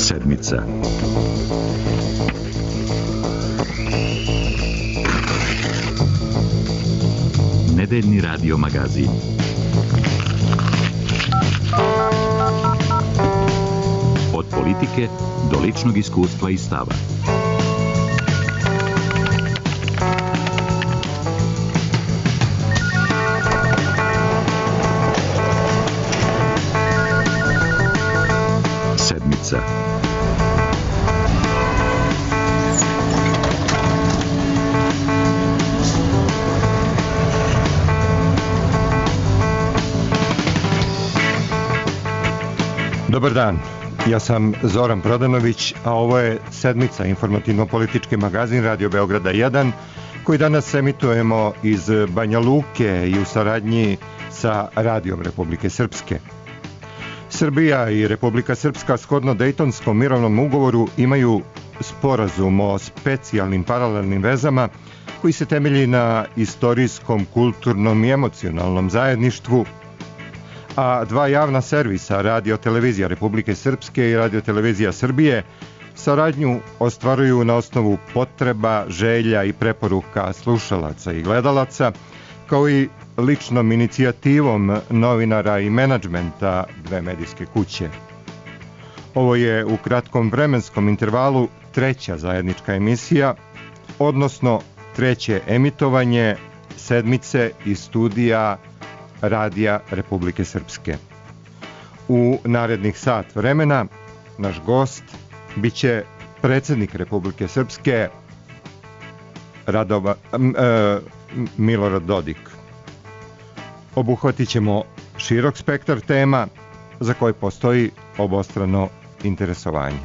Sedmica. Nedeljni radio magazin. Od politike do ličnog iskustva i stava. Sedmica. Dobar dan, ja sam Zoran Prodanović, a ovo je Sedmica, informativno-politički magazin Radio Beograda 1, koji danas emitujemo iz Banja Luke i u saradnji sa Radijom Republike Srpske. Srbija i Republika Srpska shodno Dejtonskom mirovnom ugovoru imaju sporazum o specijalnim paralelnim vezama koji se temelji na istorijskom, kulturnom i emocionalnom zajedništvu, a dva javna servisa, Radio-televizija Republike Srpske i Radio-televizija Srbije, saradnju ostvaruju na osnovu potreba, želja i preporuka slušalaca i gledalaca, kao i ličnom inicijativom novinara i menadžmenta dve medijske kuće. Ovo je u kratkom vremenskom intervalu treća zajednička emisija, odnosno treće emitovanje Sedmice iz studija Radija Republike Srpske. U narednih sat vremena naš gost biće predsjednik Republike Srpske Milorad Dodik. Obuhvatit ćemo širok spektar tema za koje postoji obostrano interesovanje.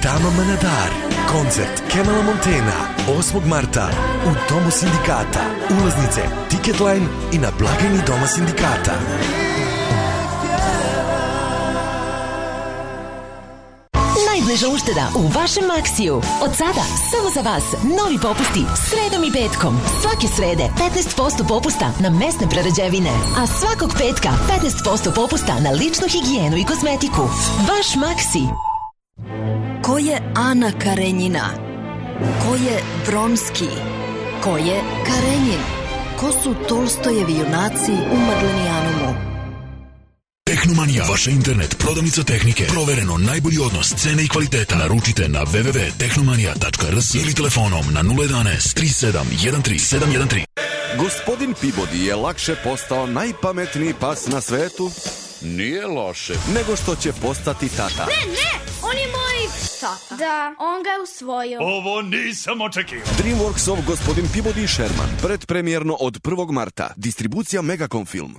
Tama Manadar, koncert Kemala Montena, 8. marta u Domu sindikata. Ulaznice Ticketline i na blagajni Doma sindikata. Najbliža ušteda u vašem Maksiju. Od sada, samo za vas, novi popusti sredom i petkom. Svake srede 15% popusta na mesne prerađevine, a svakog petka 15% popusta na ličnu higijenu i kozmetiku. Vaš Maksi. Ko je Ana Karenjina? Ko je Vronski? Ko je Karenjin? Ko su Tolstojevi junaci u Mardlenijanumu? Tehnomanija, vaša internet prodavnica tehnike. Provereno najbolji odnos cene i kvaliteta. Naručite na www.tehnomanija.rs ili telefonom na 011 37 13 713. Gospodin Peabody je lakše postao najpametniji pas na svetu? Nije loše. Nego što će postati tata. Ne, on je moj tata. Da, on ga je usvojio. Ovo nisam očekivao. DreamWorksov Gospodin Peabody i Sherman. Predpremjerno od 1. marta. Distribucija Megacom Film.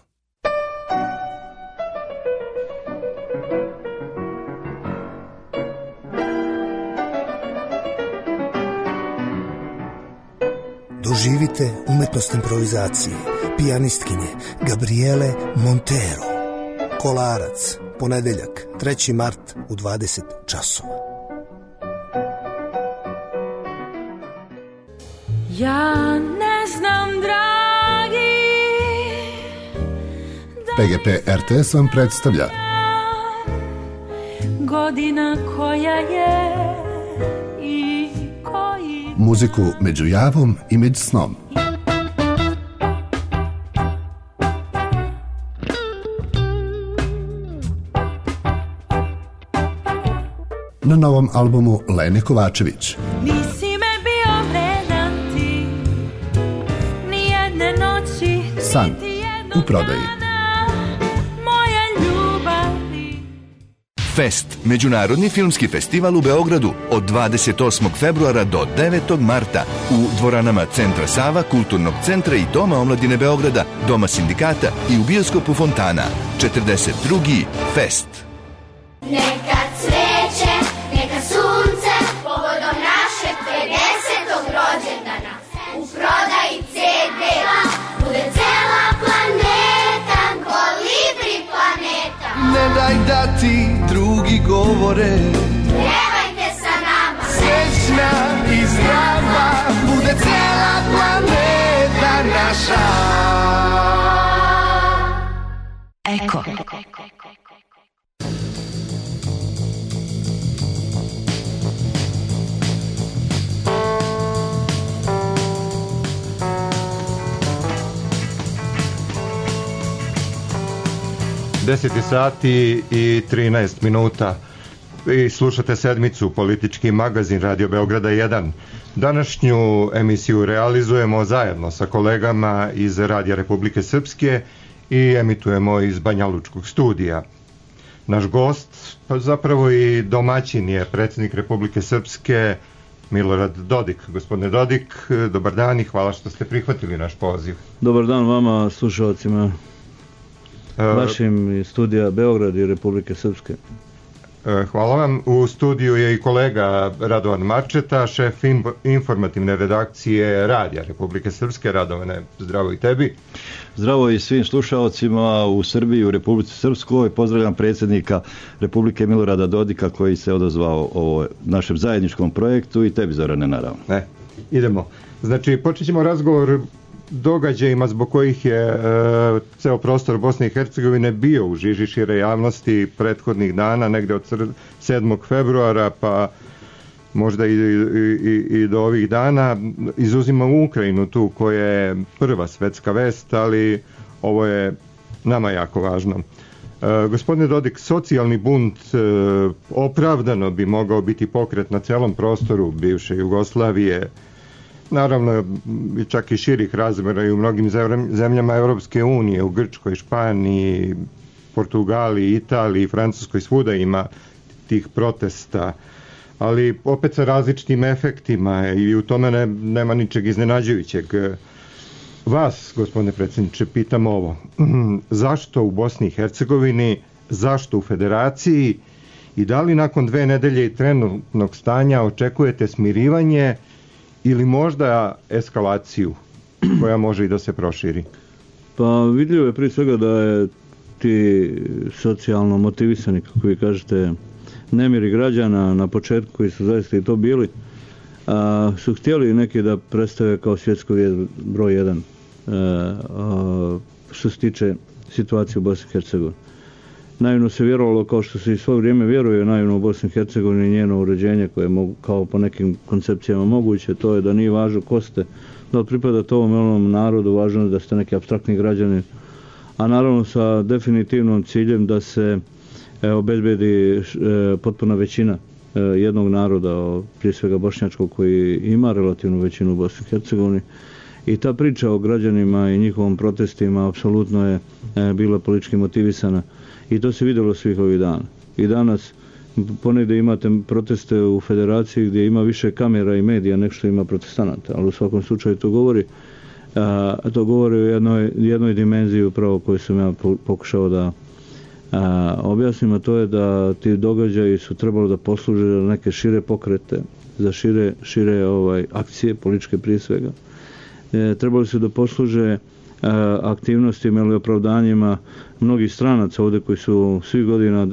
Doživite umetnost improvizacije pijanistkinje Gabriele Montero. Kolarac, ponedeljak, 3. mart u 20 časova. Ja ne znam, dragi, PGP RTS vam predstavlja godina koja je i koji muziku među javom i među snom. Na novom albumu Lene Kovačević. Nisi me bio vredan ti, nijedne noći, San u prodaji. moja ljubavi. Fest, međunarodni filmski festival u Beogradu od 28. februara do 9. marta u dvoranama Centra Sava, Kulturnog centra i Doma omladine Beograda, Doma sindikata i u bioskopu Fontana. 42. Fest. Neka cveće, neka sunce, povodom našeg 50. rođendana. U prodaji CD-a bude cela planeta, kolibri planeta. Ne daj da ti drugi govore, Pjevajte sa nama, srećna i zdrava, bude cela planeta naša. Eko. Deseti sati i 13 minuta i slušate sedmicu Politički magazin Radio Beograda 1. Današnju emisiju realizujemo zajedno sa kolegama iz Radija Republike Srpske i emitujemo iz Banjalučkog studija. Naš gost, pa zapravo i domaćin, je predsjednik Republike Srpske Milorad Dodik. Gospodine Dodik, dobar dan i hvala što ste prihvatili naš poziv. Dobar dan vama, slušalcima vašim studija Beograd i Republike Srpske. Hvala vam. U studiju je i kolega Radovan Marčeta, šef informativne redakcije Radija Republike Srpske. Radovane, zdravo i tebi. Zdravo i svim slušalcima u Srbiji i u Republici Srpskoj. Pozdravljam predsjednika Republike Milorada Dodika koji se odazvao ovo našem zajedničkom projektu i tebi, Zorane, naravno. Idemo. Znači, počet ćemo razgovor događajima zbog kojih je ceo prostor Bosne i Hercegovine bio u žiži šire javnosti prethodnih dana, negde od 7. februara pa možda i do ovih dana. Izuzimamo Ukrajinu tu koja je prva svetska vest, ali ovo je nama jako važno. Gospodine Dodik, socijalni bunt opravdano bi mogao biti pokret na celom prostoru bivše Jugoslavije, naravno čak i širih razmjera i u mnogim zemljama Europske unije, u Grčkoj, Španiji, Portugaliji, Italiji, Francuskoj, svuda ima tih protesta, ali opet sa različitim efektima i u tome nema ničeg iznenađujućeg. Vas, gospodine predsjedniče, pitam ovo. Zašto u Bosni i Hercegovini, zašto u Federaciji i da li nakon 2 nedelje i trenutnog stanja očekujete smirivanje ili možda eskalaciju koja može i da se proširi? Pa vidljivo je prije svega da je ti socijalno motivisani, kako vi kažete, nemiri građana na početku, koji su zaista i to bili, su htjeli neki da predstave kao svjetsko vijest broj 1 što se tiče situacije u Bosni i Hercegovini. Naivno se vjerovalo, kao što se i svo vrijeme vjeruje naivno u Bosni i Hercegovini, njeno uređenje koje je kao po nekim koncepcijama moguće, to je da nije važno ko ste, da li pripadate ovom ili onom narodu, važno je da ste neki apstraktni građani, a naravno sa definitivnom ciljem da se obezbedi potpuna većina jednog naroda, prije svega bošnjačkog, koji ima relativnu većinu u Bosni i Hercegovini. I ta priča o građanima i njihovom protestima apsolutno je bila politički motivisana i to se vidjelo svih ovih dana. I danas ponegdje imate proteste u federaciji gdje ima više kamera i medija nego što ima protestanata, ali u svakom slučaju to govori o jednoj dimenziji upravo koju sam ja pokušao da objasnim, a to je da ti događaji su trebali da posluže za neke šire pokrete, za šire akcije, političke prije svega. Trebali su da posluže aktivnostima ili opravdanjima mnogih stranaca ovdje koji su svih godina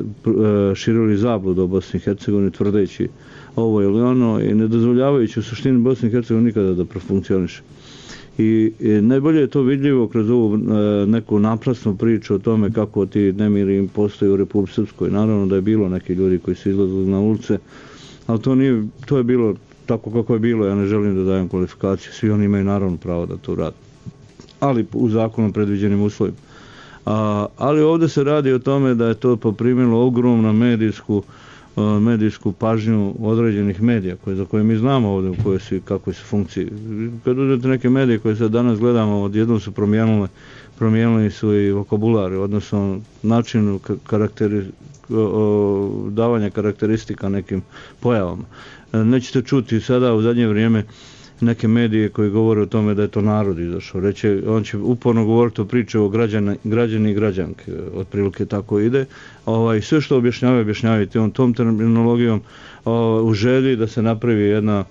širili zabludu o Bosni i Hercegovini tvrdeći ovo ili ono i ne dozvoljavajući u suštini Bosni i Hercegovini nikada da profunkcioniše. I najbolje je to vidljivo kroz ovu neku naprasnu priču o tome kako ti nemiri postoje u Republici Srpskoj. Naravno da je bilo neki ljudi koji su izlazili na ulice, ali to je bilo tako kako je bilo, ja ne želim da dajem kvalifikaciju, svi oni imaju naravno pravo da to rade, ali u zakonom predviđenim uslovima. Ali ovdje se radi o tome da je to poprimilo ogromnu medijsku pažnju određenih medija za koje mi znamo ovdje u kakvoj su funkciji. Kad uzmete neke medije koje sad danas gledamo, odjednom su promijenili su i vokabulari, odnosno način davanja karakteristika nekim pojavama. Nećete čuti sada u zadnje vrijeme neke medije koji govore o tome da je to narod izašao. On će uporno govoriti o priče o građani i građanke, otprilike tako ide. Sve što objašnjavaju tom terminologijom u želji da se napravi jedna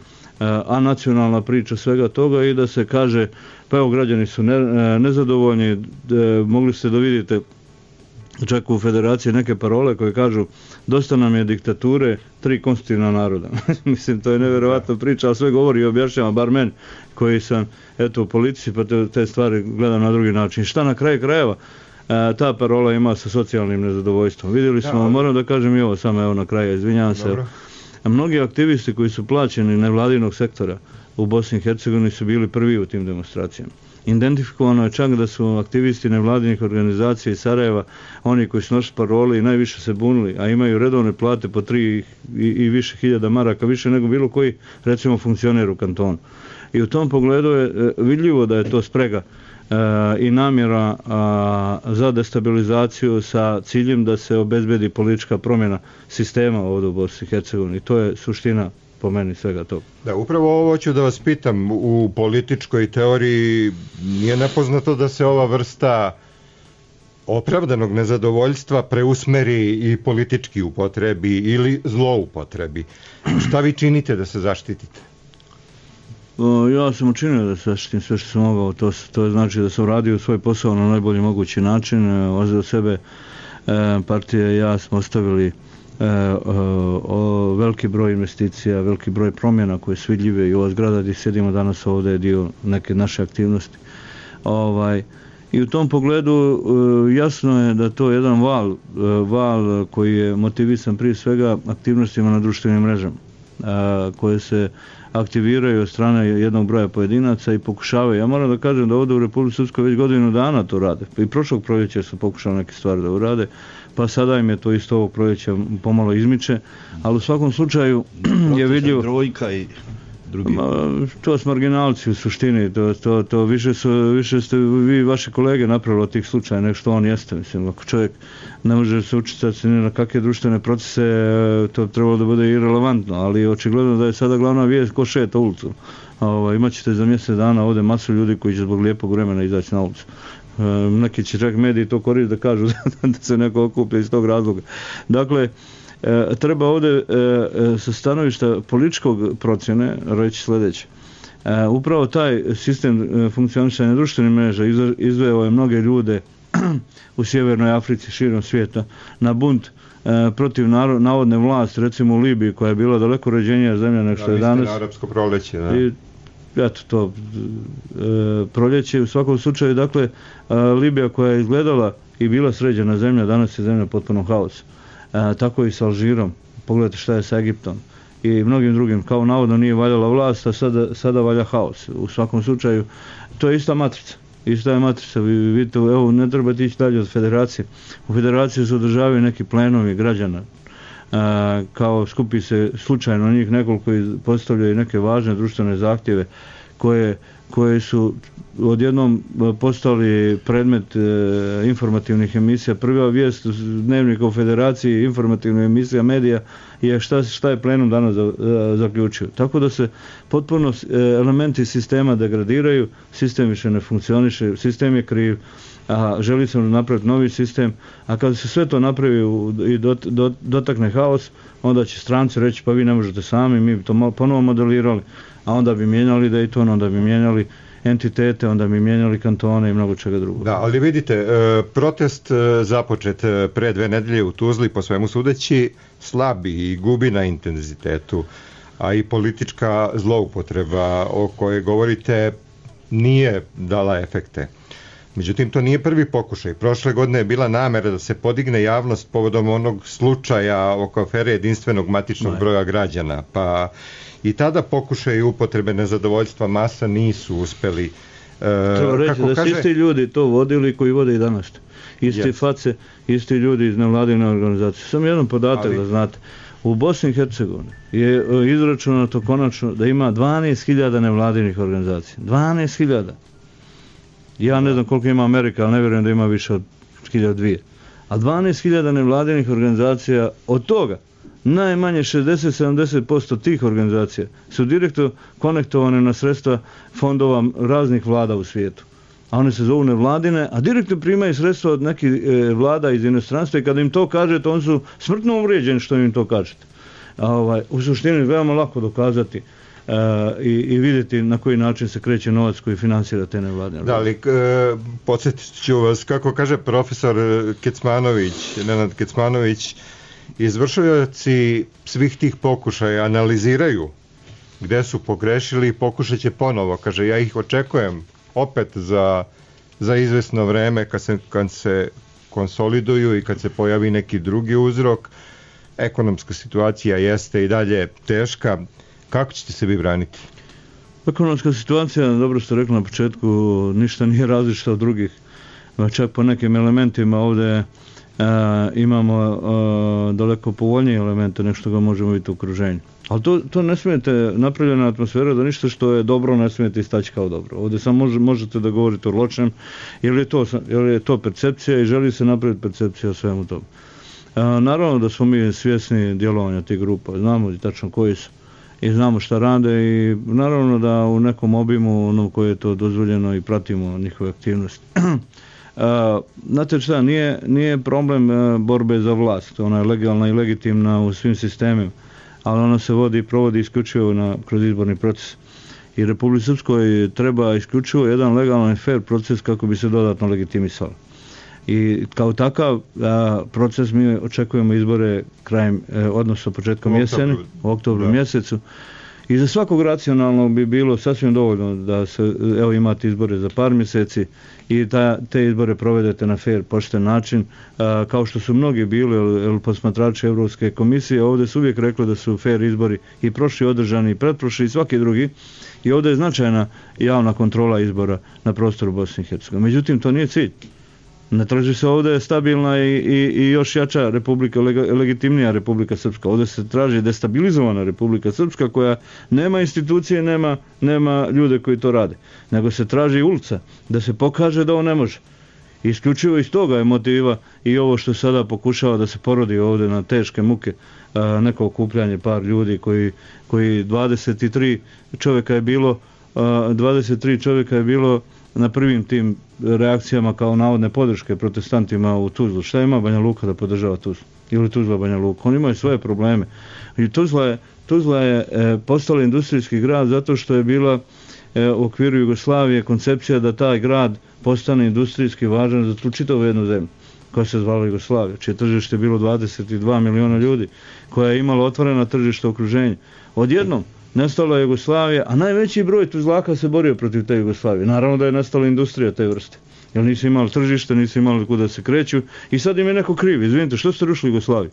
anacionalna priča svega toga i da se kaže, pa evo građani su nezadovoljni, mogli ste da vidite čak u federaciji neke parole koje kažu dosta nam je diktature, 3 konstitutivna naroda. Mislim, to je nevjerovatna priča, ali sve govori i objašnjava, bar meni koji sam u politici pa te stvari gledam na drugi način. Šta na kraju krajeva ta parola ima sa socijalnim nezadovoljstvom. Vidjeli smo, moram da kažem i ovo samo evo na kraju, izvinjavam se. Mnogi aktivisti koji su plaćeni nevladinog sektora u Bosni i Hercegovini su bili prvi u tim demonstracijama. Identifikovano je čak da su aktivisti nevladinih organizacija iz Sarajeva, oni koji su nosili parole i najviše se bunili, a imaju redovne plate po 3 i više hiljada maraka, više nego bilo koji, recimo, funkcioner u kantonu. I u tom pogledu je vidljivo da je to sprega i namjera za destabilizaciju sa ciljem da se obezbedi politička promjena sistema ovdje u Bosni i Hercegovini. To je suština po meni svega toga. Da, upravo ovo ću da vas pitam. U političkoj teoriji nije nepoznato da se ova vrsta opravdanog nezadovoljstva preusmeri i politički upotrebi ili zloupotrebi. Šta vi činite da se zaštitite? Ja sam učinio da se zaštitim sve što sam mogao. To znači da sam radio svoj posao na najbolji mogući način. Od sebe partija i ja smo ostavili veliki broj investicija, veliki broj promjena koje su vidljive i ova zgrada gdje sjedimo danas ovdje je dio neke naše aktivnosti. I u tom pogledu jasno je da to je jedan val koji je motivisan prije svega aktivnostima na društvenim mrežama koje se aktiviraju od strane jednog broja pojedinaca i pokušavaju. Ja moram da kažem da ovdje u Republici Srpskoj već godinu dana to rade. I prošlog proljeća su pokušali neke stvari da urade, pa sada im je to isto ovog proljeća pomalo izmiče, ali u svakom slučaju je vidljivo... Trojka i drugi. To su marginalci u suštini, to više ste vi vaše kolege napravili od tih slučaja nego što on jeste. Mislim, ako čovjek ne može se učitati ni na kakve društvene procese, to trebalo da bude irelevantno, ali očigledno da je sada glavna vijest ko šeta ulicu. Imaćete za mjesec dana ovdje masu ljudi koji će zbog lijepog vremena izaći na ulicu. Neki će čak mediji to koristiti da kažu da se neko okuplja iz tog razloga. Dakle, treba ovdje sa stanovišta političkog procjene reći sljedeće. Upravo taj sistem funkcionisanja društvenih mreža izveo je mnoge ljude u Sjevernoj Africi, širom svijeta, na bunt protiv navodne vlasti, recimo u Libiji, koja je bila daleko uređenija zemlja nego što je danas. Na arapsko proljeće, da. I eto to proljeće. U svakom slučaju, dakle, Libija koja je izgledala i bila sređena zemlja, danas je zemlja potpuno haos. Tako i sa Alžirom. Pogledajte šta je sa Egiptom. i mnogim drugim, kao navodno nije valjala vlast, a sada valja haos. U svakom slučaju, to je ista matrica. Ista je matrica, vi vidite, evo, ne trebate ići dalje od federacije. U federaciji se održavaju neki plenovi građana, kao skupi se slučajno njih nekoliko i postavljaju neke važne društvene zahtjeve koje su odjednom postali predmet informativnih emisija. Prva vijest Dnevnika u federaciji, informativna emisija medija je šta je plenum danas zaključio. Tako da se potpuno elementi sistema degradiraju, sistem više ne funkcioniše, sistem je kriv, a želi se napraviti novi sistem, a kada se sve to napravi i dotakne haos, onda će stranci reći pa vi ne možete sami, mi bi to ponovo modelirali, a onda bi mijenjali Dayton, onda bi mijenjali entitete, onda bi mijenjali kantone i mnogo čega drugog. Da, ali vidite, protest započet pre 2 nedelje u Tuzli, po svemu sudeći, slabi i gubi na intenzitetu, a i politička zloupotreba o kojoj govorite nije dala efekte. Međutim, to nije prvi pokušaj. Prošle godine je bila namera da se podigne javnost povodom onog slučaja oko afere jedinstvenog matičnog broja građana, pa i tada pokušaj upotrebe nezadovoljstva masa nisu uspeli. Treba reći da su isti ljudi to vodili koji vode i danas. Isti face, isti ljudi iz nevladine organizacije. Samo jedan podatak da znate. U Bosni i Hercegovini je izračunato konačno da ima 12.000 nevladinih organizacija. 12.000. Ja ne znam koliko ima Amerika, ali ne vjerujem da ima više od 1.200. A 12.000 nevladinih organizacija, od toga najmanje 60-70% tih organizacija su direktno konektovane na sredstva fondova raznih vlada u svijetu. A one se zovu nevladine, a direktno primaju sredstva od nekih vlada iz inostranstva i kada im to kažete, oni su smrtno uvrijeđeni što im to kažete. U suštini veoma lako dokazati i vidjeti na koji način se kreće novac koji financira te nevladine. Da, ali podsjetit ću vas, kako kaže profesor Nenad Kecmanović, izvršioci svih tih pokušaja analiziraju gde su pogrešili i pokušat će ponovo. Kaže, ja ih očekujem opet za izvesno vreme kad se konsoliduju i kad se pojavi neki drugi uzrok. Ekonomska situacija jeste i dalje teška. Kako ćete se vi braniti? Ekonomska situacija, dobro ste rekli na početku, ništa nije različita od drugih. Čak po nekim elementima ovdje imamo daleko povoljnije elemente nego što ga možemo vidjeti u okruženju. Ali to ne smijete, napravljena atmosfera da ništa što je dobro ne smijete istaći kao dobro. Ovdje samo možete da govorite o lošem, jer je to percepcija i želi se napraviti percepcija o svemu tomu. Naravno da smo mi svjesni djelovanja tih grupa, znamo tačno koji su i znamo šta rade i naravno da u nekom obimu ono koje je to dozvoljeno i pratimo njihove aktivnosti. Znate šta, nije problem borbe za vlast, ona je legalna i legitimna u svim sistemima, ali ona se vodi i provodi isključivo kroz izborni proces. I Republici Srpskoj treba isključivo jedan legalan i fair proces kako bi se dodatno legitimisalo. I kao takav proces mi očekujemo izbore krajem, odnosno početkom jeseni, u oktobru mjesecu. I za svakog racionalnog bi bilo sasvim dovoljno da se, evo, imate izbore za par mjeseci i te izbore provedete na fair, pošten način, kao što su mnogi bili posmatrači Europske komisije. Ovdje su uvijek rekli da su fair izbori i prošli održani, i pretprošli i svaki drugi. I ovdje je značajna javna kontrola izbora na prostoru Bosne i Hercegovine. Međutim, to nije cilj. Ne traži se ovdje stabilna i još jača republika, legitimnija Republika Srpska. Ovdje se traži destabilizovana Republika Srpska koja nema institucije, nema ljude koji to rade. Nego se traži ulica da se pokaže da on ne može. Isključivo iz toga je motiva i ovo što sada pokušava da se porodi ovdje na teške muke, neko okupljanje par ljudi koji 23 čovjeka je bilo na prvim tim reakcijama kao navodne podrške protestantima u Tuzlu. Šta ima Banja Luka da podržava Tuzlu? Ili Tuzla Banja Luka? Oni imaju svoje probleme. I Tuzla je postala industrijski grad zato što je bila u okviru Jugoslavije koncepcija da taj grad postane industrijski važan za tu čitavu jednu zemlju koja se zvala Jugoslavija, čije tržište je bilo 22 miliona ljudi, koja je imala otvorena tržišta okruženja. Odjednom nastala je Jugoslavija, a najveći broj Tuzlaka se borio protiv te Jugoslavije. Naravno da je nastala industrija te vrste. Jer nisu imali tržište, nisu imali kuda se kreću i sad im je neko kriv. Izvinite, što ste rušili Jugoslaviju?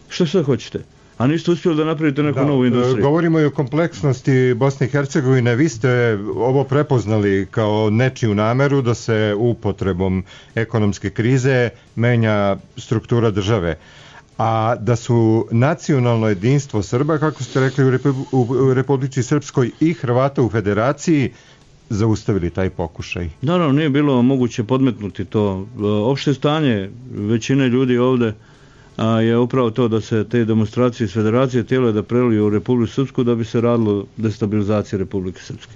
Što sad hoćete? a niste uspjeli da napravite neku novu industriju. Govorimo i o kompleksnosti Bosne i Hercegovine. Vi ste ovo prepoznali kao nečiju nameru da se upotrebom ekonomske krize menja struktura države. A da su nacionalno jedinstvo Srba, kako ste rekli, u Republici Srpskoj i Hrvata u Federaciji zaustavili taj pokušaj. Naravno, nije bilo moguće podmetnuti to. Opšte stanje većine ljudi ovde je upravo to da se te demonstracije iz Federacije htjele da preliju u Republiku Srpsku da bi se radilo destabilizacije Republike Srpske.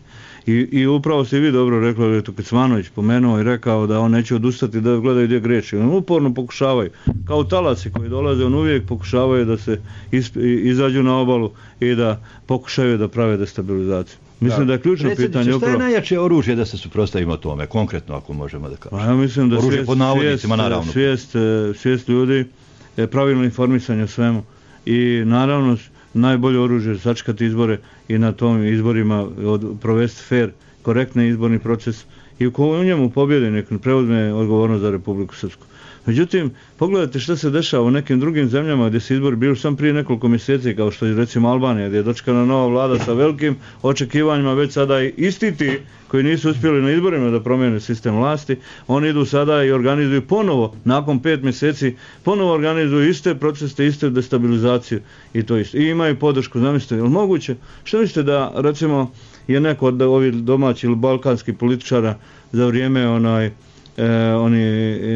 I upravo ste vi dobro rekli, je to Kecmanović pomenuo i rekao da on neće odustati da gledaju gdje greši. On uporno pokušavaju, kao talasi koji dolaze, on uvijek pokušavaju da se izađu na obalu i da pokušaju da prave destabilizaciju. Mislim da je ključno pitanje upravo. Šta je najjače oružje da se suprotstavimo tome, konkretno ako možemo da kažemo? Ja mislim da oružje pod navodnicima, naravno. Svijest ljudi, pravilno informisanje o svemu i naravno najbolje oružje je sačekati izbore i na tom izborima provesti fair, korektni izborni proces i u njemu pobjede nek preuzme odgovornost za Republiku Srpsku. Međutim, pogledajte što se dešava u nekim drugim zemljama gdje se izbori bili sam prije nekoliko mjeseci, kao što je recimo Albanija, gdje je dočekana nova vlada sa velikim očekivanjima, već sada i isti ti koji nisu uspjeli na izborima da promijene sistem vlasti, oni idu sada i organizuju ponovo, nakon 5 mjeseci, ponovo organizuju iste procese, iste destabilizaciju i to isto. I imaju podršku, zamislite, je li moguće? Što mislite da, recimo, je neko od ovih domaćih ili balkanskih političara za vrijeme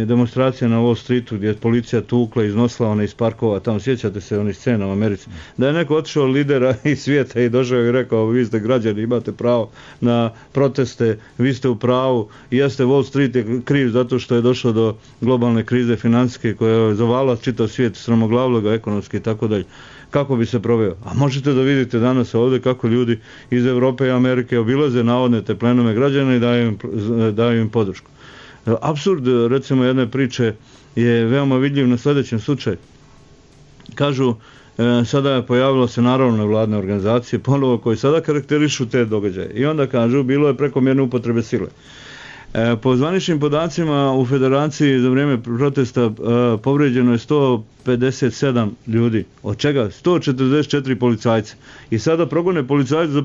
demonstracija na Wall Streetu gdje je policija tukla, iznosila iz parkova, tamo sjećate se onih scena u Americi, da je neko otišao lidera iz svijeta i došao i rekao, vi ste građani, imate pravo na proteste, vi ste u pravu, jeste, Wall Street je kriv zato što je došlo do globalne krize financijske koja je zavala čitav svijet, sramoglavilo ga ekonomski i tako dalje. Kako bi se proveo? A možete da vidite danas ovdje kako ljudi iz Europe i Amerike obilaze navodne te plenome građana i daju im podršku. Apsurd, recimo, jedne priče je veoma vidljiv na sljedećem slučaju. Kažu, sada je pojavilo se naravno nevladne organizacije, ponovo koji sada karakterišu te događaje. I onda kažu, bilo je prekomjerne upotrebe sile. Po zvaničnim podacima u Federaciji za vrijeme protesta povrijeđeno je 157 ljudi, od čega 144 policajca. I sada progone policajce za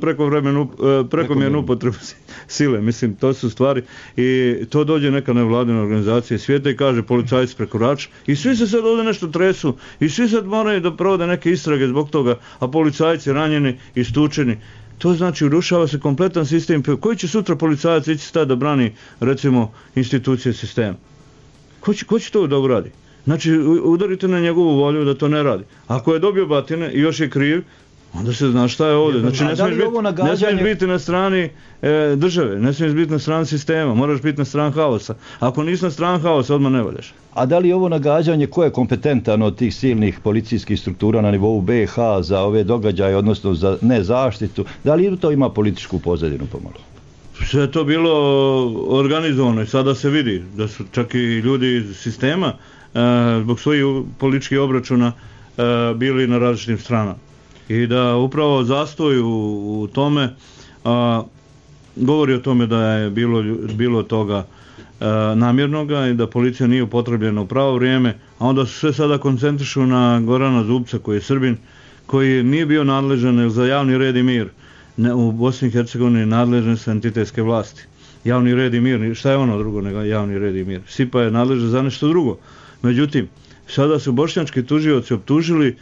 prekomjernu upotrebu sile. Mislim, to su stvari. I to dođe neka nevladina organizacija svijeta i kaže policajci prekorač. I svi se sad ovdje nešto tresu. I svi sad moraju da provode neke istrage zbog toga, a policajci ranjeni i stučeni. To znači urušava se kompletan sistem. Koji će sutra policajac ići stati da brani, recimo, institucije sistema? Ko će to da uradi? Znači, udarite na njegovu volju da to ne radi. Ako je dobio batine i još je kriv, onda se zna šta je ovdje. Znači, ne smiješ biti na strani države, ne smiješ biti na strani sistema, moraš biti na strani haosa. Ako nisi na strani haosa, odmah ne valjaš. A da li ovo nagađanje, ko je kompetentan od tih silnih policijskih struktura na nivou BiH za ove događaje, odnosno za nezaštitu, da li to ima političku pozadinu pomalo? Sve je to bilo organizovano i sada se vidi da su čak i ljudi iz sistema zbog svojih političkih obračuna bili na različitim stranama. I da upravo zastoj u tome govori o tome da je bilo toga namjernoga i da policija nije upotrebljena u pravo vrijeme, a onda se sve sada koncentrišu na Gorana Zubca koji je Srbin, koji nije bio nadležan za javni red i mir. U Bosni i Hercegovini nadležne su entitetske vlasti. Javni red i mir, šta je ono drugo nego javni red i mir? SIPA je nadležna za nešto drugo. Međutim, sada su bošnjački tužioci optužili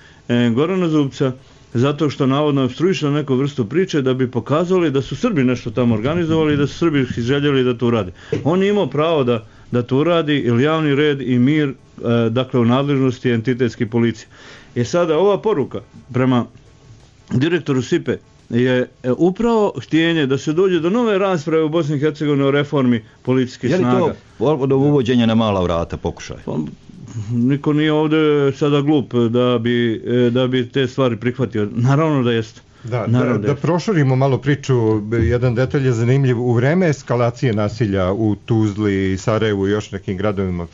Gorana Zubca zato što navodno opstruiše neku vrstu priče da bi pokazali da su Srbi nešto tamo organizovali i da su Srbi željeli da to uradi. On je imao pravo da to uradi ili javni red i mir, dakle u nadležnosti entitetske policije. I sada ova poruka prema direktoru SIPE je upravo htjenje da se dođe do nove rasprave u Bosni i Hercegovini o reformi policijskih snaga. Je li to od uvođenja na mala vrata pokušaj? Niko nije ovdje sada glup da bi te stvari prihvatio. Naravno da jeste. Da proširimo malo priču, jedan detalj je zanimljiv. U vreme eskalacije nasilja u Tuzli, Sarajevu i još nekim gradovima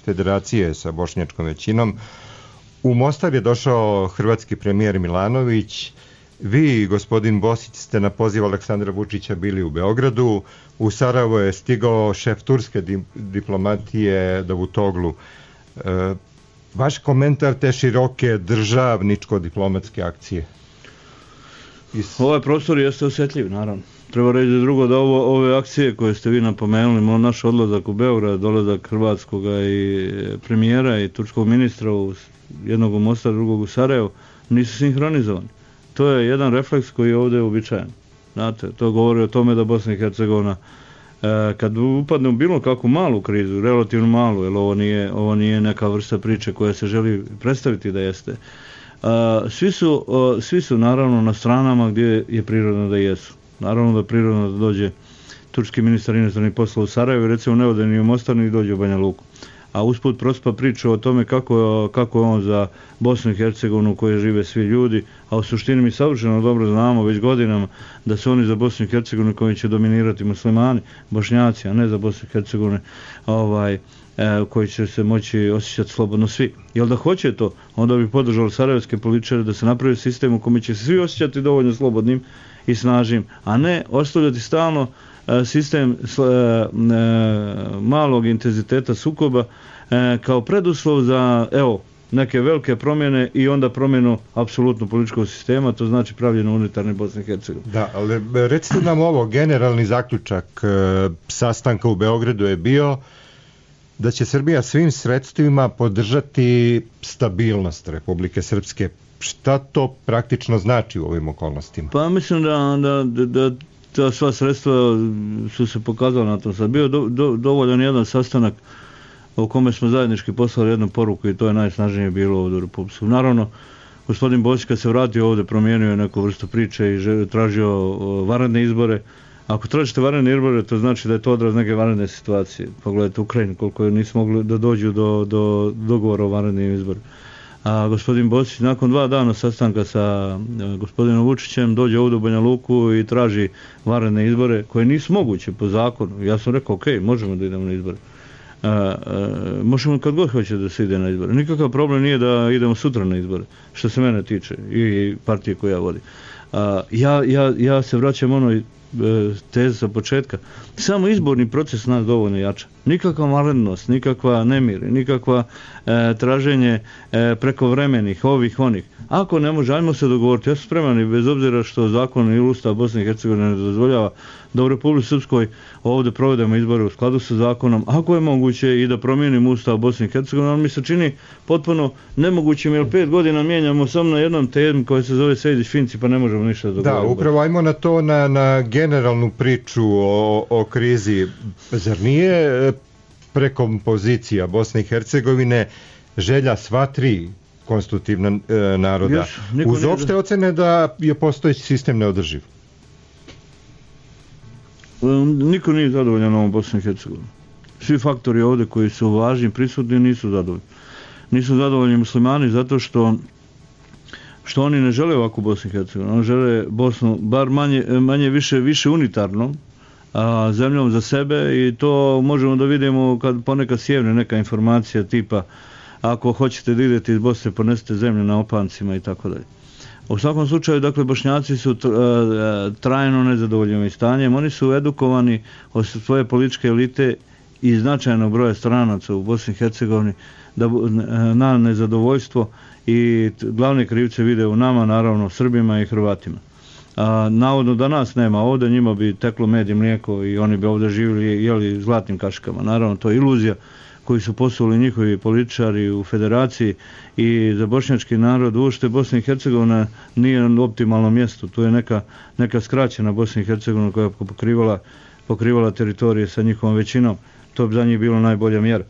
Federacije sa bošnjačkom većinom, u Mostar je došao hrvatski premijer Milanović. Vi, gospodin Bosić, ste na poziv Aleksandra Vučića bili u Beogradu. U Sarajevo je stigao šef turske diplomatije Davutoglu. Vaš komentar te široke državničko-diplomatske akcije? Ovaj prostor jeste osjetljiv, naravno. Treba reći drugo da ove akcije koje ste vi napomenuli, naš odlazak u Beograd, dolazak hrvatskog i premijera i turskog ministra, jednog u Mostar, drugog u Sarajevo, nisu sinhronizovani. To je jedan refleks koji je ovdje uobičajen. Znate, to govori o tome da Bosna i Hercegovina kad upadne u bilo kakvu malu krizu, relativno malu, jer ovo nije neka vrsta priče koja se želi predstaviti da jeste. Svi su naravno na stranama gdje je prirodno da jesu. Naravno da je prirodno da dođe turski ministar inostranih poslova u Sarajevo, recimo ne ode ni u Mostar ni dođe u Banja Luku. A usput prospa priča o tome kako je on za Bosnu i Hercegovinu u kojoj žive svi ljudi, a u suštini mi savršeno dobro znamo već godinama da su oni za Bosnu i Hercegovinu koji će dominirati muslimani, Bošnjaci, a ne za Bosnu i Hercegovinu koji će se moći osjećati slobodno svi. Jel da hoće to, onda bi podržali sarajevske političare da se napravi sistem u kome će se svi osjećati dovoljno slobodnim i snažnim, a ne ostavljati stalno sistem malog intenziteta sukoba kao preduslov za neke velike promjene i onda promjenu apsolutno političkog sistema, to znači pravljeno unutarnje Bosne i Hercegovine. Da, ali recite nam ovo, generalni zaključak sastanka u Beogradu je bio da će Srbija svim sredstvima podržati stabilnost Republike Srpske. Šta to praktično znači u ovim okolnostima? Pa mislim da ta sva sredstva su se pokazala na tom sad. Bio dovoljan jedan sastanak u kome smo zajednički poslali jednu poruku i to je najsnažnije bilo ovdje u Republici. Naravno, gospodin Bosić kad se vratio ovdje promijenio je neku vrstu priče i tražio vanredne izbore. Ako tražite vanredne izbore, to znači da je to odraz neke vanredne situacije. Pogledajte Ukrajinu, koliko nisu mogli da dođu do dogovora o vanrednim izborima. A gospodin Bosić nakon 2 dana sastanka sa gospodinom Vučićem dođe ovdje u Banja Luku i traži vanredne izbore koje nisu moguće po zakonu. Ja sam rekao, ok, možemo da idemo na izbore. Možemo kad god hoće da se ide na izbore. Nikakav problem nije da idemo sutra na izbore, što se mene tiče i partije koju ja vodim. Ja se vraćam onoj tezi sa početka. Samo izborni proces nas dovoljno jača. Nikakva vanrednost, nikakva nemir, nikakva traženje prekovremenih, onih. Ako ne može, ajmo se dogovoriti. Ja sam spreman i bez obzira što zakon i Ustav Bosne i Hercegovine ne dozvoljava da u Republici Srpskoj ovdje provedemo izbore u skladu sa zakonom. Ako je moguće i da promijenimo Ustav Bosne i Hercegovine, ali mi se čini potpuno nemogućim jer 5 godina mijenjamo samo na jednom temu koja se zove Sejdić-Finci pa ne možemo ništa dogovoriti. Da, upravo ajmo na to, na generalnu priču o krizi. Zar nije prekompozicija Bosne i Hercegovine želja sva 3 konstitutivna naroda uz opšte ocene da je postojeći sistem neodrživ? Niko nije zadovoljan ovom Bosni i Hercegovini. Svi faktori ovdje koji su važni, prisutni, nisu zadovoljni. Nisu zadovoljni muslimani zato što oni ne žele ovakvu Bosnu i Hercegovinu. Oni žele Bosnu bar manje više unitarnom, zemljom za sebe i to možemo da vidimo kad ponekad sjevne neka informacija tipa ako hoćete da idete iz Bosne ponesete zemlju na opancima i tako dalje. U svakom slučaju, dakle, Bošnjaci su trajno nezadovoljni ovim stanjem. Oni su edukovani od svoje političke elite i značajnog broja stranaca u Bosni i Hercegovini na nezadovoljstvo i glavne krivce vide u nama, naravno Srbima i Hrvatima. Navodno da nas nema ovdje, njima bi teklo med i mlijeko i oni bi ovdje živjeli i jeli zlatnim kaškama. Naravno, to je iluzija koji su poslali njihovi političari u federaciji i za bošnjački narod uopšte Bosna i Hercegovina nije na optimalnom mjestu. Tu je neka skraćena Bosna i Hercegovina koja je pokrivala teritorije sa njihovom većinom. To bi za njih bilo najbolja mjera.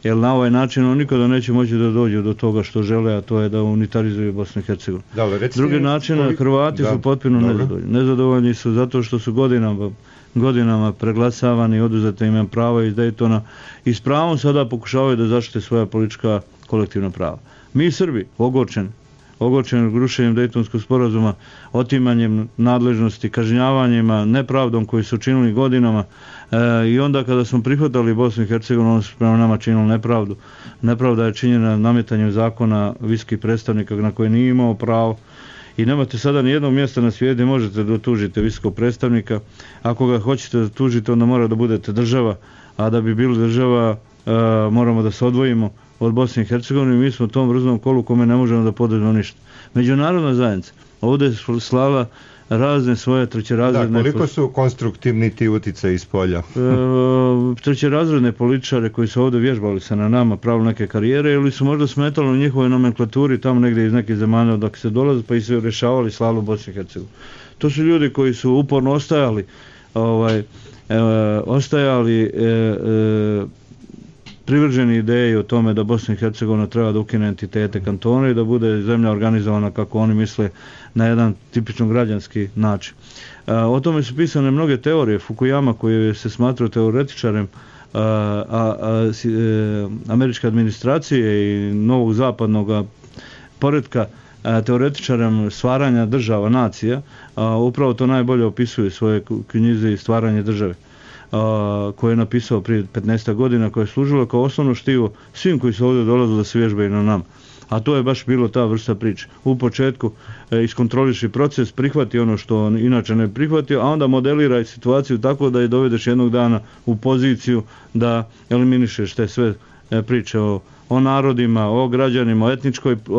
Jer na ovaj način oni nikada neće moći da dođu do toga što žele, a to je da unitarizuju Bosnu i Hercegovinu. Drugi način, Hrvati su potpuno nezadovoljni. Nezadovoljni su zato što su godinama preglasavani, oduzete im prava iz Daytona i s pravom sada pokušavaju da zaštite svoja politička kolektivna prava. Mi Srbi, ogorčeni rušenjem Daytonskog sporazuma, otimanjem nadležnosti, kažnjavanjima, nepravdom koju su činili godinama i onda kada smo prihvatali Bosnu i Hercegovinu, onda su prema nama činili nepravdu. Nepravda je činjena nametanjem zakona visokih predstavnika na koje nije imao pravo. I nemate sada ni jednog mjesta na svijetu gdje možete da tužite visokog predstavnika. Ako ga hoćete da tužite, onda mora da budete država, a da bi bili država moramo da se odvojimo od Bosne i Hercegovine, mi smo u tom vrznom kolu kome ne možemo da poduzmemo ništa. Međunarodna zajednica ovdje je slala razne svoje trećerazredne... Da, koliko su konstruktivni ti uticaji iz polja? Trećerazredne političare koji su ovdje vježbali se na nama, pravili neke karijere, ili su možda smetali u njihovoj nomenklaturi tamo negdje iz nekih zemalja dok se dolaze, pa i su rješavali slavu Bosne i Hercegovine. To su ljudi koji su uporno ostajali privrženi ideji o tome da Bosna i Hercegovina treba da ukine entitete kantona i da bude zemlja organizovana kako oni misle na jedan tipično građanski način. O tome su pisane mnoge teorije. Fukuyama, koji se smatrao teoretičarem američke administracije i novog zapadnog poretka, teoretičarem stvaranja država, nacija, upravo to najbolje opisuje svoje knjize i stvaranje države, koje je napisao prije 15 godina, koje je služilo kao osnovno štivo svim koji su ovdje dolazili da se vježbaju na nama. A to je baš bilo ta vrsta priče. U početku iskontroliši proces, prihvati ono što on inače ne prihvatio, a onda modeliraj situaciju tako da je dovedeš jednog dana u poziciju da eliminišeš te sve priče o narodima, o građanima, o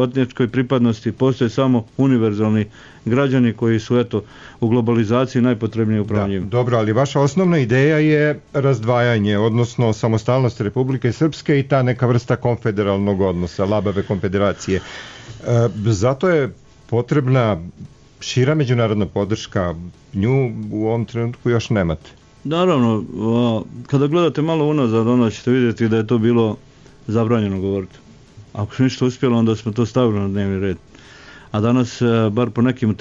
etničkoj pripadnosti. Postoje samo univerzalni građani koji su u globalizaciji najpotrebniji upravo njima. Dobro, ali vaša osnovna ideja je razdvajanje, odnosno samostalnost Republike Srpske i ta neka vrsta konfederalnog odnosa, labave konfederacije. Zato je potrebna šira međunarodna podrška, nju u ovom trenutku još nemate. Naravno, kada gledate malo unazad, onda ćete vidjeti da je to bilo zabranjeno govoriti. Ako se ništa uspjelo, onda smo to stavili na dnevni red. A danas, bar po nekim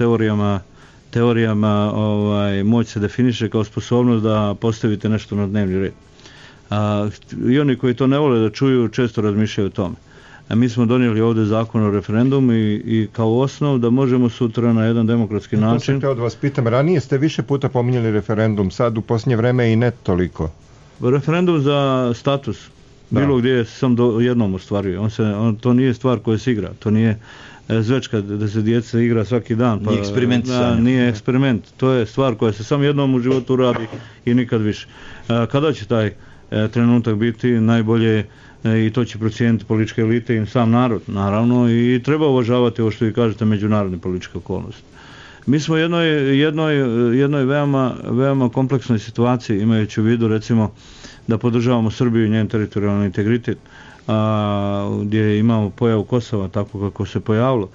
teorijama moć se definiše kao sposobnost da postavite nešto na dnevni red. I oni koji to ne vole da čuju, često razmišljaju o tome. Mi smo donijeli ovdje zakon o referendumu i kao osnov da možemo sutra na jedan demokratski način... To se od vas pitam, ranije ste više puta pominjali referendum, sad u posljednje vreme i ne toliko. Referendum za status, bilo gdje sam jednom ostvario. To nije stvar koja se igra, to nije zvečka da se djeca igra svaki dan. Nije eksperiment. Nije eksperiment, to je stvar koja se samo jednom u životu radi i nikad više. Kada će taj trenutak biti, najbolje i to će procijeniti političke elite i sam narod, naravno, i treba uvažavati ovo što vi kažete, međunarodne političke okolnosti. Mi smo u jednoj veoma kompleksnoj situaciji, imajući u vidu recimo da podržavamo Srbiju i njen teritorijalni integritet, gdje imamo pojavu Kosova tako kako se pojavilo.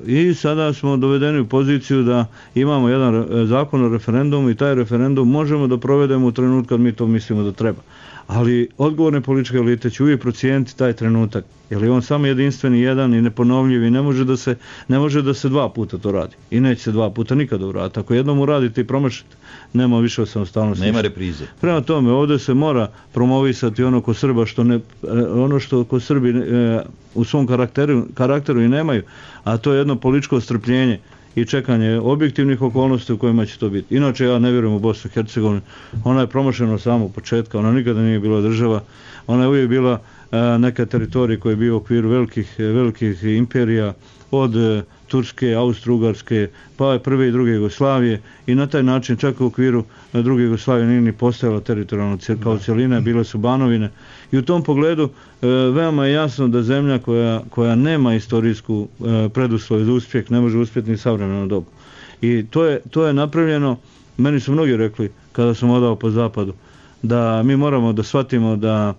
I sada smo dovedeni u poziciju da imamo jedan zakon o referendumu i taj referendum možemo da provedemo u trenutku kad mi to mislimo da treba. Ali odgovorne političke elite će uvijek procijeniti taj trenutak, jer je on samo jedinstveni, jedan i neponovljiv i ne može da se dva puta to radi. I neće se dva puta nikada uraditi. Ako jednom uradite i promašite, nema više od samostalnosti. Nema reprize. Prema tome, ovdje se mora promovisati ono ko Srba ono što ko Srbi u svom karakteru i nemaju, a to je jedno političko strpljenje i čekanje objektivnih okolnosti u kojima će to biti. Inače, ja ne vjerujem u Bosnu i Hercegovinu. Ona je promašena od samog početka, ona nikada nije bila država, ona je uvijek bila neka teritorija koja je bio u okviru velikih imperija, od Turske, Austro-Ugarske, pa prve i druge Jugoslavije, i na taj način čak u okviru druge Jugoslavije nije ni postojala teritorijalno kao cjelina, bile su banovine. I u tom pogledu veoma je jasno da zemlja koja nema istorijsku preduslov za uspjeh ne može uspjeti ni savremenu dobu. I to je napravljeno, meni su mnogi rekli kada sam odao po zapadu, da mi moramo da shvatimo da